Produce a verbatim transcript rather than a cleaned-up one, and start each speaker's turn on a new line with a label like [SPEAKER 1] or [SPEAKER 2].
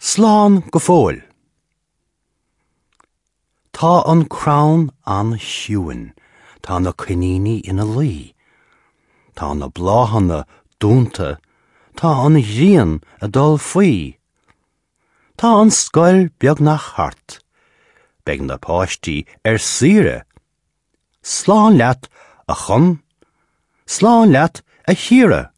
[SPEAKER 1] Slán go fóill. Tá an crann an-chiúin, tá na coiníní ina luí. Tá na bláthanna dúnta, tá an ghrian ag dul faoi. Tá an scoil beagnach thart. Beidh na páistí ar saoire. Slán leat a Chon, Slán leat a Chiara.